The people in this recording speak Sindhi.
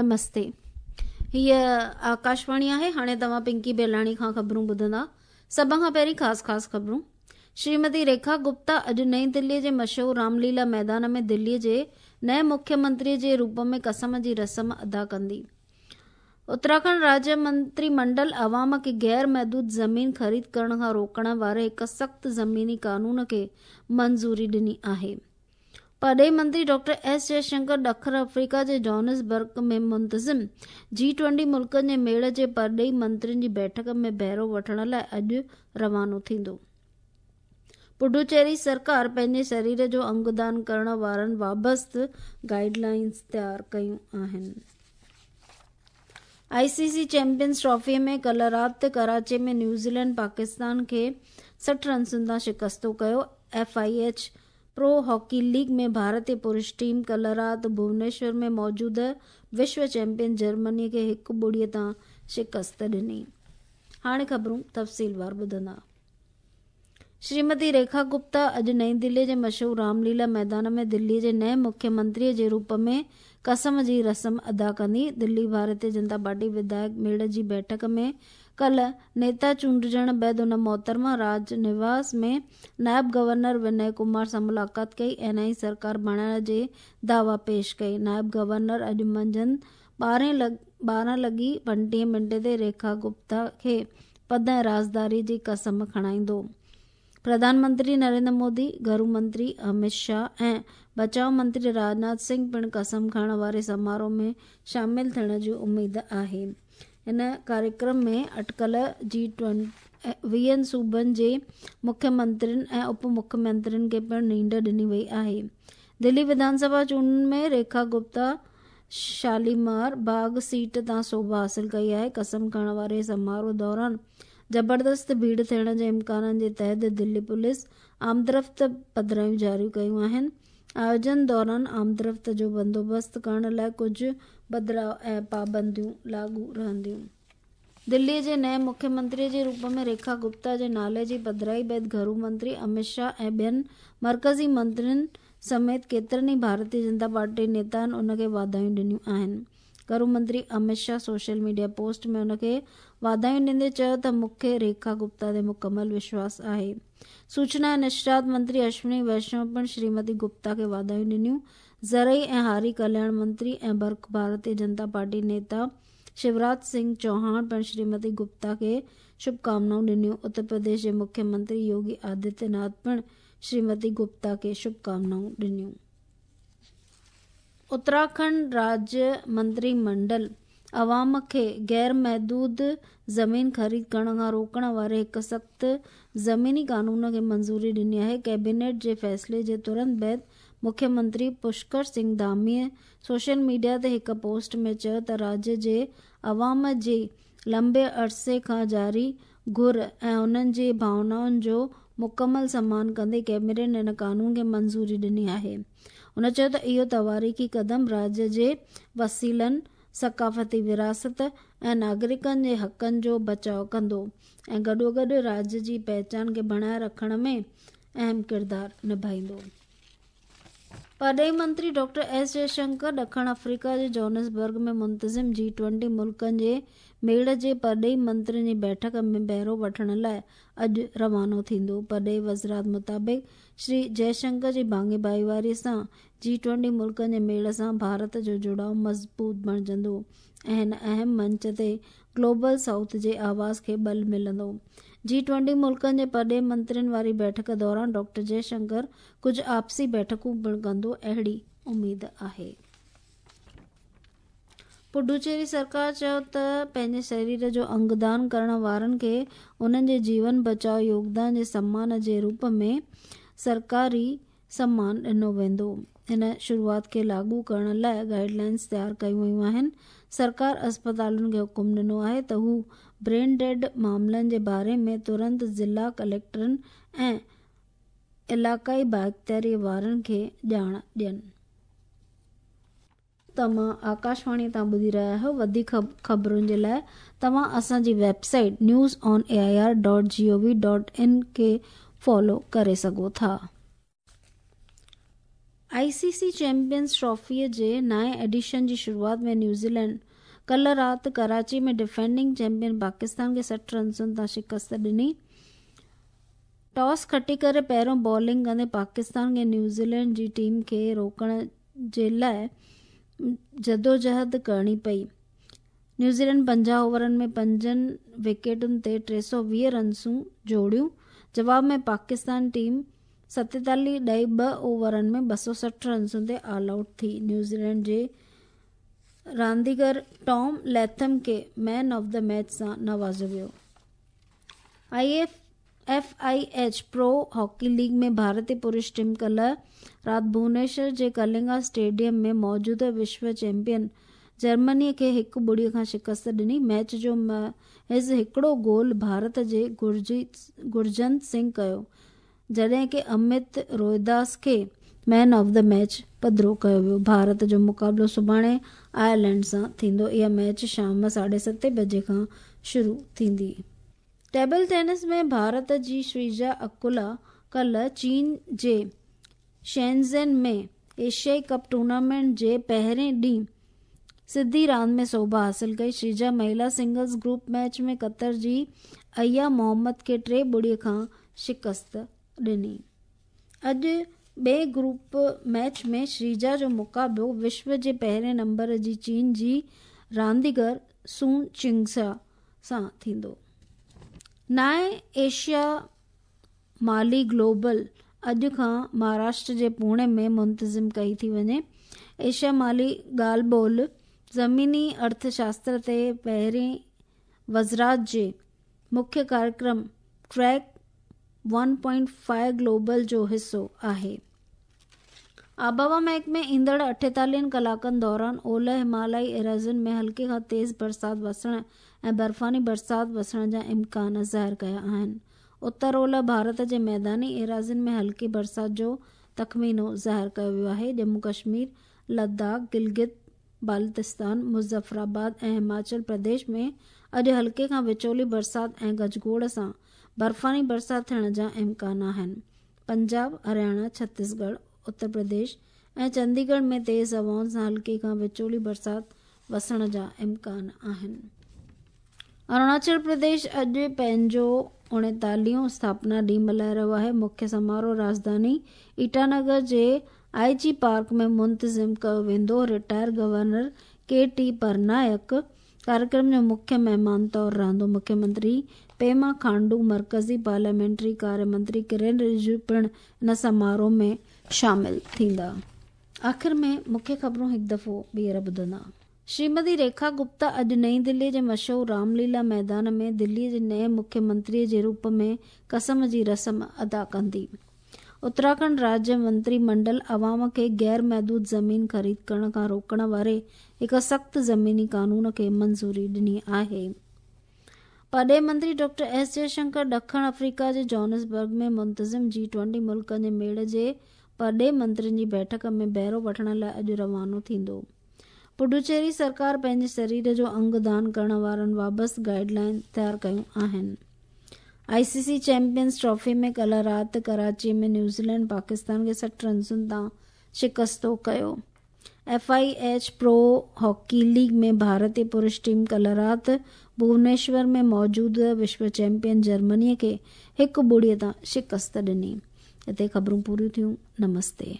نمستي هيء آڪاشواڻي آهي هاڻي توهان پنڪي بيلاڻي کان خبرون ٻڌندا سڀ کان پهرين خاص خاص خبرون شريمتي ريکا گپتا اڄ نئين دلي جي مشهور رام ليلا ميدان ۾ دلي جي نئين مکيه منتري جي روپ ۾ قسم جي رسم ادا ڪندي اتراکنڊ راجيه منتري منڊل عوام کي غير محدود زمين خريد ڪرڻ کان روڪڻ واري هڪ سخت زميني قانون کي منظوري ڏني آهي پرڏيهي منتري ڊاڪٽر ايس جئه شنڪر ڏکڻ آفريڪا جي جوهانسبرگ ۾ منتظم جي ٽوئنٽي ملڪن جي ميڙ جي پرڏيهي منترين جي بيٺڪ ۾ بهرو وٺڻ لاء اڄ روانو ٿيندو. پڊوچيري سرڪار پنهنجي شرير جو انگ دان ڪرڻ وارن بابت گائيڊ لائنز تيار ڪيون آهن. آء سي سي چيمپيئنز ٽرافي ۾ ڪلهه رات ڪراچي ۾ نيوزيلينڊ پاڪستان کي 60 رنسن تان شڪستو ڪيو. F I H pro hockey league ۾ ڀارتي پرش ٽيم ڪلهه رات ڀونيشور ۾ موجوده وشو چيمپيئن جرمني کي هڪ ٻڙي تان شڪست ڏني. هاڻي خبرون تفصيلوار ٻڌندا. شريمتي ريکا گپتا اڄ نئين دلي جي مشهور رام ليلا ميدان ۾ دلي جي نئين مکيه منتري جي روپ ۾ قسم جي رسم ادا ڪندي. دلي ڀارتي جنتا پارٽي وڌايڪ ميڙ جي بيٺڪ ۾ ڪلهه نيتا چونڊجڻ بعد هن محترمه راج نواس ۾ نائب گورنر ونئي ڪمار سان ملاقات ڪئي ۽ نئين سرڪار بڻائڻ جي دعويٰ پيش ڪئي. نائب گورنر اڄ منجهند 12 لڳي 35 منٽ تي ريکا گپتا کي پد ۽ رازداري جي قسم کڻائيندو. پرڌان منتري نريندر مودي، گهرو منتري امت شاهه ۽ بچاء منتري راجناٿ سنگهه پڻ قسم کڻڻ واري سماروهه ۾ شامل ٿيڻ جي اميد آهي. هن ڪاريڪرم ۾ اٽڪل جي ويهن صوبن جي مکيه منترين ۽ اپ مکيه منترين کي پڻ نينڍ ڏني وئي آهي. دلي وڌان سڀا چونڊن ۾ ريکا گپتا شاليمار باغ سيٽ تان سوڀ حاصل ڪئي آهي. قسم کڻڻ واري سماروهه دوران زبردست ڀيڙ ٿيڻ جي امڪانن جي تحت دلي پوليس آمدرفت پڌرايون جاري ڪيون آهن. آيوجن دوران آمدرفت جو بندوبست ڪرڻ لاء ڪجهه بدلاء ۽ پابنديون لاڳو رهنديون. دلي جي نئين مکيه منتري جي روپ ۾ ريکا گپتا جي نالي جي پڌرائي بعد گهرو منتري امت شاهه ۽ ٻين مرڪزي منترين سميت ڪيترن ئي ڀارتي جنتا پارٽي نيتائن ان کي واڌايون ڏنيون آهن. گهرو منتري Amit Shah social media post ۾ ان کي واڌايون ڏيندي چيو ته مون کي ريکا گپتا تي مڪمل وشواس آهي. سوچنا ۽ نشريات منتري اشوني ويشنو پڻ شريمتي گپتا کي واڌايون ڏنيون. زرعي ۽ هاري ڪلياڻ منتري ۽ برک ڀارتي جنتا پارٽي نيتا شيوراج سنگهه چوهاڻ پڻ شريمتي گپتا کي شڀڪامنائون ڏنيون. اتر پرديش جي مکيه منتري يوگي آدتيه ناٿ پڻ شريمتي گپتا کي شڀڪامنائون ڏنيون. اتراکنڊ راجيه منتري منڊل عوام کي غير محدود زمين خريد ڪرڻ کان روڪڻ واري هڪ سخت زميني قانون کي منظوري ڏني آهي. ڪيبينيٽ جي فيصلي جي ترنت بعد مکيه منتري پشڪر سنگهه ڌاميء سوشل ميڊيا تي هڪ پوسٽ ۾ چيو ته راجيه جي عوام جي لنبي عرصي کان جاري گهر ۽ انهن جي ڀاونائن جو مڪمل سمان ڪندي ڪيبينيٽ هن قانون کي منظوري ڏني آهي. هن چيو ته اهو تواريخي قدم راڄ جي وسيلن، ثقافتي وراثت ۽ ناگرڪن جي حقن جو بچاء ڪندو ۽ گڏوگڏ راڄ جي پهچان کي بڻائي رکڻ ۾ اهم ڪردار نڀائيندو. پرڏيهي منتري ڊاڪٽر ايس جئه شنڪر ڏکڻ آفريڪا جي جوهانسبرگ ۾ منتظم جي ٽوئنٽي ملڪن جي ميڙ جي پرڏيهي منترين جي بيٺڪ ۾ بهرو وٺڻ لاء اڄ روانو ٿيندو. پرڏيهي وزارت مطابق شري جئه شنڪر جي ڀاڱي ڀائيواري سان جي ٽوئنٽي ملڪن جي ميڙ سان ڀارت جو جڙاء مضبوط بڻجندو ۽ هن اهم منچ تي گلوبل سائوٿ جي آواز کي ٻل ملندو. جي ٽوئنٽي ملڪن جي پرڏيهي منترين واري بيٺڪ دوران ڊاڪٽر جئه شنڪر ڪجهه آپسي بيٺڪون پڻ ڪندو اهڙي اميد آهي. پڊوچيري سرڪار چيو ته پنهنجي شرير جو انگ دان ڪرڻ وارن کي انهن جي جيون بچاء يوگدان جي سمان جي روپ ۾ سرڪاري سمان ڏنو ويندو. هن شروعات کي لاڳو ڪرڻ لاء گائيڊ لائنز تيار ڪيون ويون آهن. سرڪار اسپتالن کي حڪم ڏنو آهي ته هو برين ڊيڊ معاملن جي باري ۾ ترنت ضلع ڪليڪٽرن ۽ علائقائي بااختياري وارن کي ڄاڻ ڏين. توهان آڪاشواڻي تان ٻڌي رهيا آهيو وڌيڪ خبرن جي لاء توهان اسان جي website news on A I R dot G O V dot in کي فالو ڪري سگهو ٿا. I C C champions trophy جي نائين ايڊيشن جي شروعات ۾ نيوزيلينڊ ڪلهه رات ڪراچي ۾ ڊفينڊنگ چيمپيئن پاڪستان کي 60 رنسن تان شڪست ڏني. ٽاس کٽي ڪري پهريون بالنگ ڪندي پاڪستان کي نيوزيلينڊ جي ٽيم کي روڪڻ جي لاء جدوجهد ڪرڻي پئي. نيوزيلينڊ 50 اوورن ۾ پنجن وڪيٽن تي 320 رنسون جوڙيون. جواب ۾ پاڪستان ٽيم 47.2 اوورن ۾ 260 رنسن تي آل آئوٽ ٿي. نيوزيلينڊ جي رانديگر ٽام ليٿم کي مين آف the match سان نوازيو ويو. F I H pro hockey league ۾ ڀارتي پرش ٽيم ڪلهه رات ڀونيشور جي ڪلنگا اسٽيڊيم ۾ موجوده وشو چيمپيئن جرمني کي 1-0 کان شڪست ڏني. ميچ جو محض هڪڙو گول ڀارت جي گرجنت سنگهه ڪيو، جڏهن ڪه امت روهداس کي مين آف the match پڌرو ڪيو ويو. ڀارت جو مقابلو سڀاڻي آئرلينڊ سان ٿيندو. اها ميچ شام 7:30 بجي کان شروع ٿيندي. ٽيبل ٽينس ۾ ڀارت جي شريجا اڪولا ڪلهه چين جي شينزن ۾ ايشيائي ڪپ ٽورنامينٽ جي پهرين ڏينهن سڌي راند ۾ سوڀ حاصل ڪئي. شريجا مهلا سنگلز گروپ ميچ ۾ قطر جي ايا محمد کي 3-0 کان شڪست ڏني. اڄ ٻئي گروپ ميچ ۾ شريجا جو مقابلو وشو جي پهرين نمبر جي چين جي رانديگر سون چنگسا سان ٿيندو. نائين ايشيا مالي گلوبل اڄ کان مهاراشٽر جي پوڻي ۾ منتظم ڪئي ٿي وڃي. ايشيا مالي ڳالهه ٻولهه زميني ارٿ شاستر تي پهرين وزارت جي مکيه ڪاريڪرم ٽريڪ 1.5 گلوبل جو حصو آهي. آبهوا محڪمي ايندڙ 48 ڪلاڪن دوران اولهه همالائي ايراضين ۾ هلڪي کان تيز برسات وسڻ ۽ برفاني برسات وسڻ جا امڪان ظاهر ڪيا آهن. اتر اولهه ڀارت جي ميداني ايراضين ۾ هلڪي برسات جو تخمينو ظاهر ڪيو ويو آهي. ڄمون ڪشمير، لداخ، گلگت بالتستان، مظفرآباد ۽ هماچل پرديش ۾ اڄ هلڪي کان وچولي برسات ۽ گجگوڙ سان برفاني برسات ٿيڻ جا امڪان آهن. پنجاب، هرياڻا، ڇتيسڳڙهه، اتر پرديش ۽ چنديڳڙهه ۾ تيز هوائن سان هلڪي کان وچولي برسات وسڻ جا امڪان آهن. اروناچل پرديش اڄ پنهنجو 39هون اسٿاپنا ڏينهن ملهائي رهيو آهي. مکيه سماروهه راڄڌاني ايٽانگر جي آء جي پارڪ ۾ منتظم ڪيو ويندو. Retire governor K T Parnaik ڪاريڪرم جو مکيه مهمان طور رهندو. مکيه منتري پيما کانڊو، مرڪزي پارليامينٽري ڪاريه منتري ڪرين رجيجو پڻ ان سماروهه ۾ شامل ٿيندا. آخر ۾ مکيه خبرون هڪ دفعو ٻيهر ٻڌندا. شريمتي ريکا گپتا اڄ نئين دلي جي مشهور رام ليلا ميدان ۾ دلي جي نئين مکيه منتري جي روپ ۾ قسم جي رسم ادا ڪندي. اتراکنڊ راجيه منتري منڊل عوام کي غير محدود زمين خريد ڪرڻ کان روڪڻ واري هڪ سخت زميني قانون کي منظوري ڏني آهي. پرڏيهي منتري ڊاڪٽر ايس جئشنڪر ڏکڻ آفريڪا جي جوهانسبرگ ۾ منتظم جي ٽوئنٽي ملڪن جي ميڙ جي پرڏيهي منترين جي بيٺڪ ۾ بهرو وٺڻ لاء اڄ روانو ٿيندو. پڊوچيري سرڪار پنهنجي سرير جو انگ دان ڪرڻ وارن وابست گائيڊ لائين تيار ڪيون آهن. آء سي سي چيمپيئنز ٽرافي ۾ ڪلهه رات ڪراچي ۾ نيوزيلينڊ پاڪستان کي 60 رنسن تان شڪستو ڪيو. F I H pro hockey league ۾ ڀارتي پرش ٽيم ڪلهه رات ڀونيشور ۾ موجوده وشو چيمپيئن جرمني کي 1-0 تان شڪست ڏني. هتي خبرون پوريون ٿيون. نمستي.